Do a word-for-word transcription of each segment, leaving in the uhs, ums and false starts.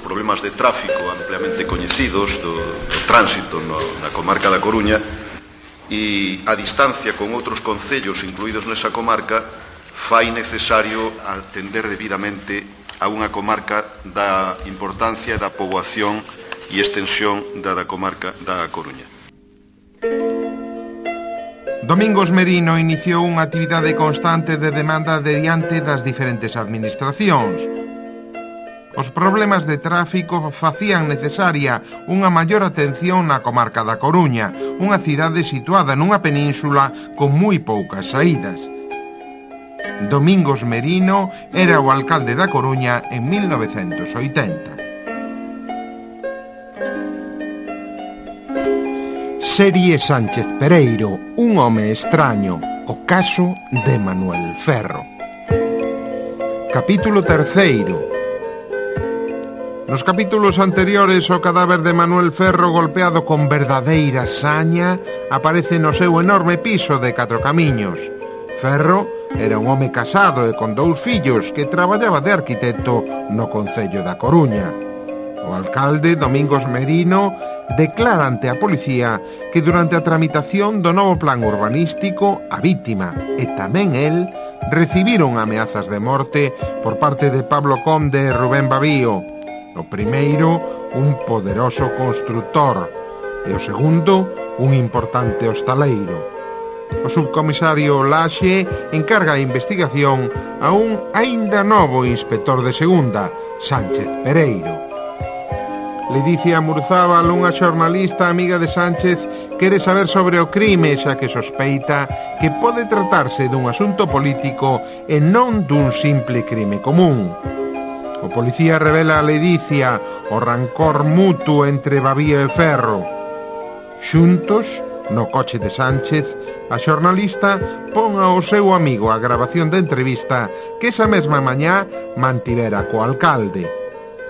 problemas de tráfico ampliamente coñecidos do, do tránsito no, na comarca da Coruña, e a distancia con outros concellos incluídos nesa comarca fai necesario atender debidamente a unha comarca da importancia da poboación e extensión da, da comarca da Coruña. Domingos Merino iniciou unha actividade constante de demanda de diante das diferentes administracións. Os problemas de tráfico facían necesaria unha maior atención na comarca da Coruña, unha cidade situada nunha península con moi poucas saídas. Domingos Merino era o alcalde da Coruña en mil novecentos oitenta. Serie Sánchez Pereiro, un home extraño, o caso de Manuel Ferro. Capítulo terceiro. Nos capítulos anteriores, o cadáver de Manuel Ferro, golpeado con verdadeira saña, aparece no seu enorme piso de Catro Camiños. Ferro era un home casado e con dous fillos que traballaba de arquitecto no concello da Coruña. O alcalde, Domingos Merino, declara ante a policía que durante a tramitación do novo plan urbanístico a vítima e tamén el recibiron ameazas de morte por parte de Pablo Conde e Rubén Babío. O primeiro, un poderoso constructor, e o segundo, un importante hostaleiro. O subcomisario Laxe encarga a investigación a un aínda novo inspector de segunda, Sánchez Pereiro. Ledicia Murzábal, unha xornalista amiga de Sánchez, quere saber sobre o crime, xa que sospeita que pode tratarse dun asunto político e non dun simple crime común. O policía revela a Ledicia o rancor mutuo entre Babío e Ferro. Xuntos, no coche de Sánchez, a xornalista pon ao seu amigo a grabación da entrevista que esa mesma mañá mantivera co alcalde.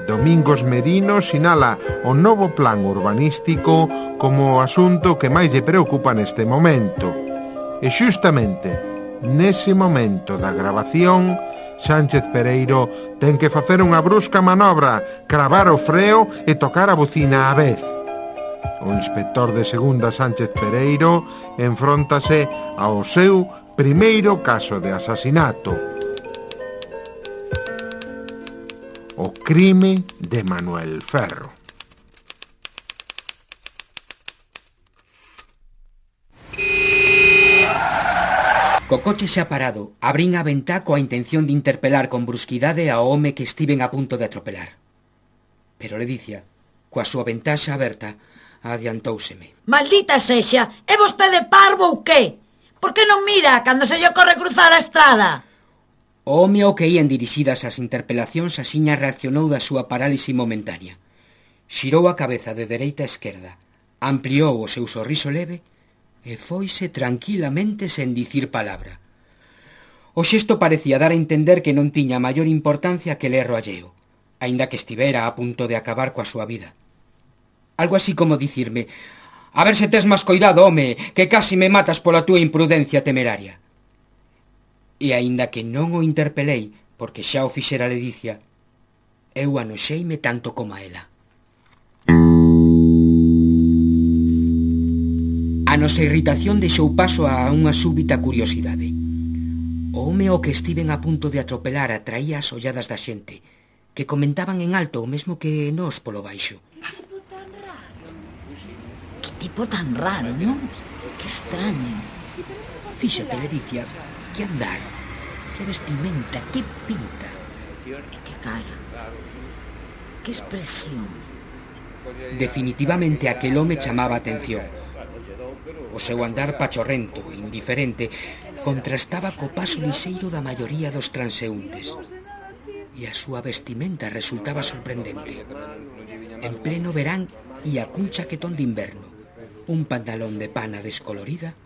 Domingos Merino sinala o novo plan urbanístico como o asunto que máis lle preocupa neste momento. E xustamente, nese momento da grabación, Sánchez Pereiro ten que facer unha brusca manobra, cravar o freo e tocar a bucina á vez. O inspector de segunda Sánchez Pereiro enfróntase ao seu primeiro caso de asasinato. O crime de Manuel Ferro. Co coche xa parado, abrín a ventá coa intención de interpelar con brusquidade ao home que estiven a punto de atropelar. Pero Ledicia, coa súa ventá xa aberta, adiantóuseme. Maldita sexa, é vostede parvo ou que? Por que non mira cando se lle ocorre cruzar a estrada? O home ao que ían dirixidas as interpelacións asiña reaccionou da súa parálise momentánea. Xirou a cabeza de dereita a esquerda, ampliou o seu sorriso leve e foise tranquilamente sen dicir palabra. O xesto parecía dar a entender que non tiña maior importancia que el erro alleo, aínda que estivera a punto de acabar coa súa vida. Algo así como dicirme: a ver se tes máis coidado, home, que casi me matas pola túa imprudencia temeraria. E aínda que non o interpelei, porque xa o fixera Ledicia, eu anoxeime tanto como a ela. A nosa irritación deixou paso a unha súbita curiosidade. O home ao que estiven a punto de atropelar atraía as olladas da xente, que comentaban en alto o mesmo que nós polo baixo. Que tipo tan raro, non? Que extraño. Fíxate, Ledicia, que andar, que vestimenta, que pinta. E que cara. Que expresión. Definitivamente aquel home chamaba a atención. O seu andar pachorrento, indiferente, contrastaba co paso lixeiro da maioría dos transeúntes. E a súa vestimenta resultaba sorprendente. En pleno verán ia cun chaquetón de inverno, un pantalón de pana descolorida,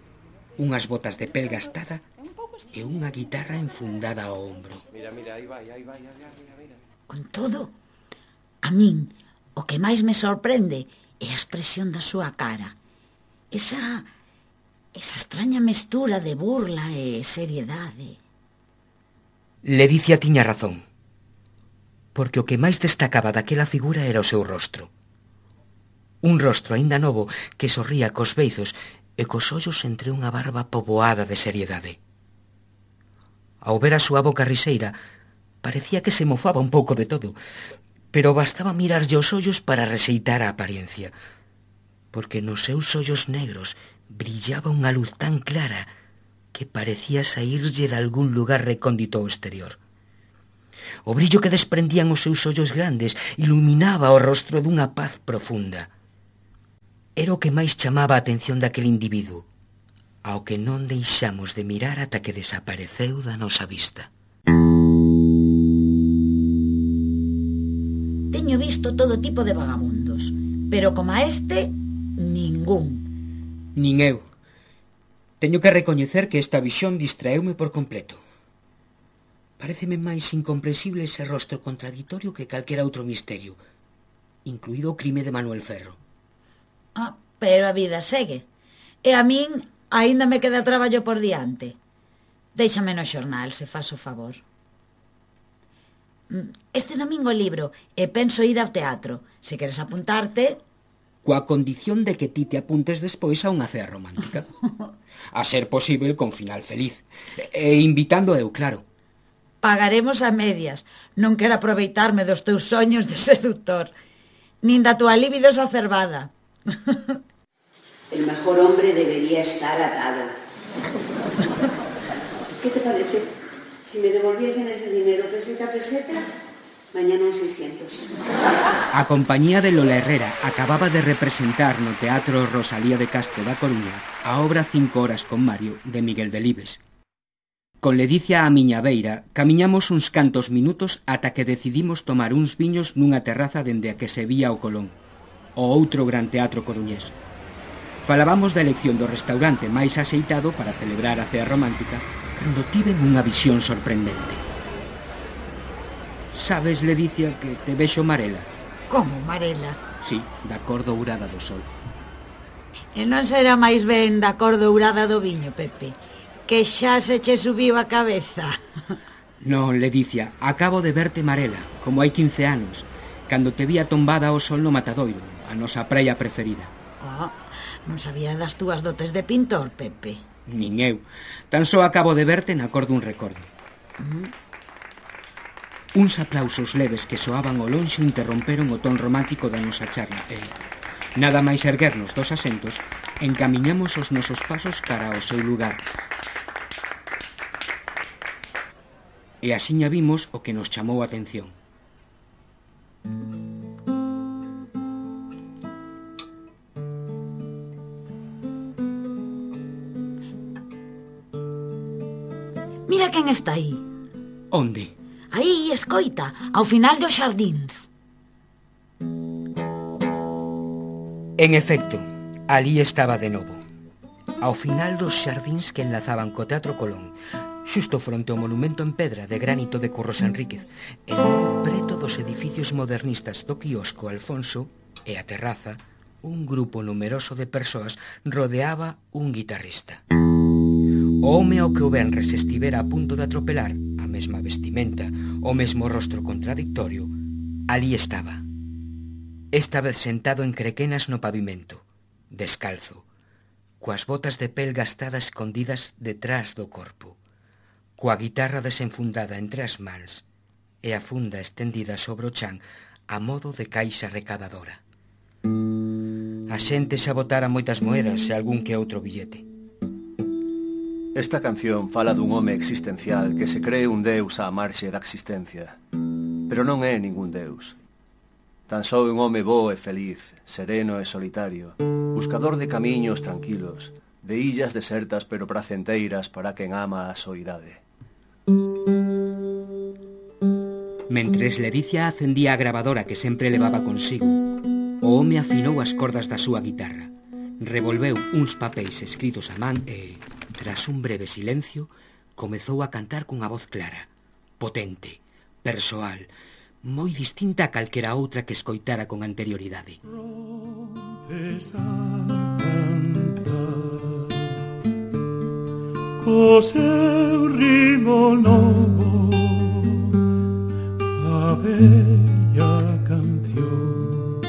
unhas botas de pel gastada e unha guitarra enfundada ao ombro. Con todo, a min o que máis me sorprende é a expresión da súa cara. Esa, esa extraña mestura de burla e seriedade. Ledicia tiña razón. porque o que máis destacaba daquela figura era o seu rostro. Un rostro aínda novo que sorría cos beizos e cos ollos entre unha barba poboada de seriedade. Ao ver a súa boca riseira, parecía que se mofaba un pouco de todo, pero bastaba mirarlle os ollos para rexeitar a apariencia, porque nos seus ollos negros brillaba unha luz tan clara que parecía saírlle de algún lugar recóndito ao exterior. O brillo que desprendían os seus ollos grandes iluminaba o rostro dunha paz profunda. Era o que máis chamaba a atención daquele individuo, ao que non deixamos de mirar ata que desapareceu da nosa vista. Teño visto todo tipo de vagabundos, pero como a este, ningún. Nin eu. Teño que recoñecer que esta visión distraeume por completo. Paréceme máis incomprensible ese rostro contradictorio que calquera outro misterio, incluído o crime de Manuel Ferro. Ah, pero a vida segue. E a min aínda me queda traballo por diante. Déixame no xornal, se faz o favor. Este domingo libro e penso ir ao teatro. Se queres apuntarte... Coa condición de que ti te apuntes despois a unha cea romántica. A ser posible con final feliz. E invitando eu, claro. Pagaremos a medias. Non quero aproveitarme dos teus soños de seductor, nin da tua libido exacerbada. El mejor hombre debería estar atado. ¿Qué te parece? Si me devolviesen ese dinero peseta a peseta, mañana un seiscientos. A compañía de Lola Herrera acababa de representar no Teatro Rosalía de Castro da Coruña a obra Cinco horas con Mario, de Miguel Delibes. Con Ledicia á miña beira, camiñamos uns cantos minutos ata que decidimos tomar uns viños nunha terraza dende a que se vía o Colón, o outro gran teatro coruñés. Falábamos da elección do restaurante máis axeitado para celebrar a cea romántica cando tiven unha visión sorprendente. Sabes, Ledicia, que te vexo marela? Como marela? Sí, da cor dourada do sol. E non será máis ben da cor dourada do viño, Pepe, que xa se che subiu a cabeza. Non, Ledicia, acabo de verte marela, como hai quince anos, cando te vía tombada ao sol no Matadoiro, a nosa praia preferida. Oh, non sabía das túas dotes de pintor, Pepe. Nin eu. Tan só acabo de verte na cor dun recordo. Mm. Uns aplausos leves que soaban ao lonxe interromperon o ton romántico da nosa charla e, nada máis erguernos dos asentos, encamiñamos os nosos pasos cara ao seu lugar. E axiña vimos o que nos chamou a atención. Mira quen está aí. Onde? Aí, escoita, ao final dos xardíns. En efecto, ali estaba de novo, ao final dos xardíns que enlazaban co Teatro Colón, xusto fronte ao monumento en pedra de granito de Curros Enríquez, e moi preto dos edificios modernistas do quiosco Alfonso e a terraza, un grupo numeroso de persoas rodeaba un guitarrista. O home ao que o venres estivera a punto de atropelar, a mesma vestimenta, o mesmo rostro contradictorio, ali estaba. Esta vez sentado en crequenas no pavimento, descalzo, coas botas de pel gastada escondidas detrás do corpo, coa guitarra desenfundada entre as mans e a funda estendida sobre o chan a modo de caixa recadadora. A xente xa botara moitas moedas e algún que outro billete. Esta canción fala dun home existencial que se cree un deus á marxe da existencia, pero non é ningún deus. Tan só un home bo e feliz, sereno e solitario, buscador de camiños tranquilos, de illas desertas pero placenteiras para quen ama a soidade. Mentres Ledicia acendía a gravadora que sempre levaba consigo, o home afinou as cordas da súa guitarra, revolveu uns papéis escritos a man e, tras un breve silencio, comezou a cantar cunha voz clara, potente, persoal, moi distinta a calquera outra que escoitara con anterioridade. Rompes a cantar co seu ritmo novo, a bella canción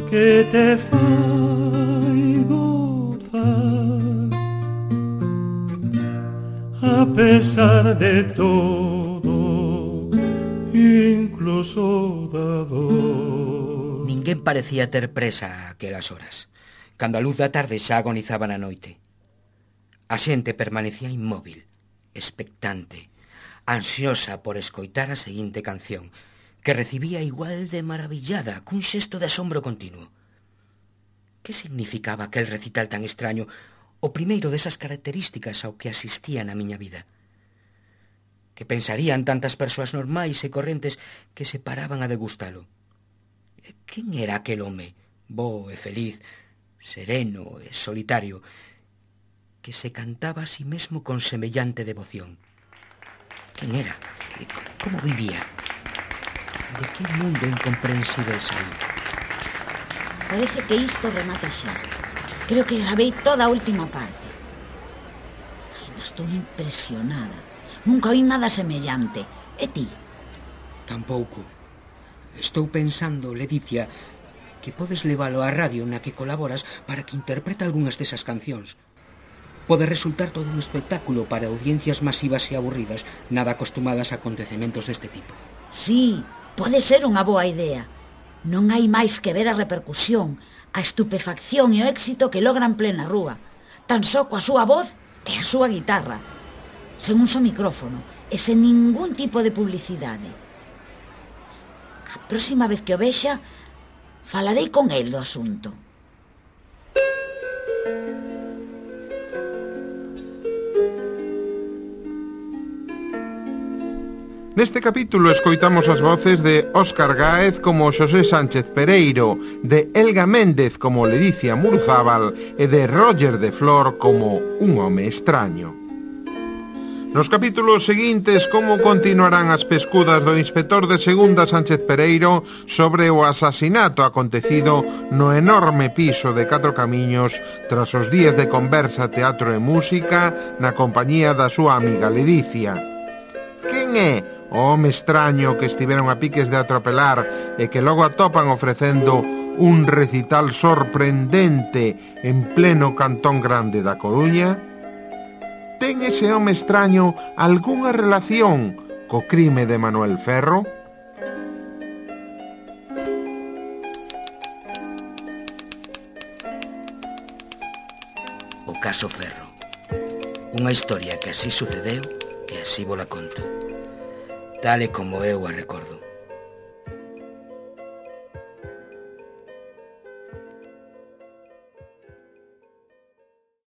que te fai gozar a pesar de todo, incluso da dor. Ninguén parecía ter presa a aquelas horas, cando a luz da tarde xa agonizaba na noite. A xente permanecía inmóvil, expectante, ansiosa por escoitar a seguinte canción, que recibía igual de maravillada cun xesto de asombro continuo. Que significaba aquel recital tan extraño, o primeiro desas características ao que asistía na miña vida? Que pensarían tantas persoas normais e correntes que se paraban a degustalo? Quen era aquel home, bo e feliz, sereno e solitario, que se cantaba a sí mesmo con semellante devoción? Quen era? Como vivía? De que mundo incomprensible saí? Parece que isto remata xa. Creo que gravei toda a última parte. Ainda estou impresionada. Nunca oí nada semellante. E ti? Tampouco. Estou pensando, Ledicia, que podes levalo á radio na que colaboras para que interprete algunhas desas cancións. Pode resultar todo un espectáculo para audiencias masivas e aburridas, nada acostumadas a acontecementos deste tipo. Sí, pode ser unha boa idea. Non hai máis que ver a repercusión, a estupefacción e o éxito que logran plena rúa, tan só coa súa voz e a súa guitarra, sen un só micrófono e sen ningún tipo de publicidade. A próxima vez que o vexa, falarei con el do asunto. Neste capítulo escoitamos as voces de Óscar Gáez como Xosé Sánchez Pereiro, de Elga Méndez como Ledicia Murzábal e de Roger de Flor como un home extraño. Nos capítulos seguintes, como continuarán as pescudas do inspector de segunda Sánchez Pereiro sobre o asasinato acontecido no enorme piso de Catro Camiños tras os días de conversa, teatro e música na compañía da súa amiga Ledicia. Quen é o home extraño que estiveron a piques de atropelar e que logo atopan ofrecendo un recital sorprendente en pleno Cantón Grande da Coruña? Ten ese home extraño algunha relación co crime de Manuel Ferro? O caso Ferro. Unha historia que así sucedeu e así vola conto, tal e como eu a recordo.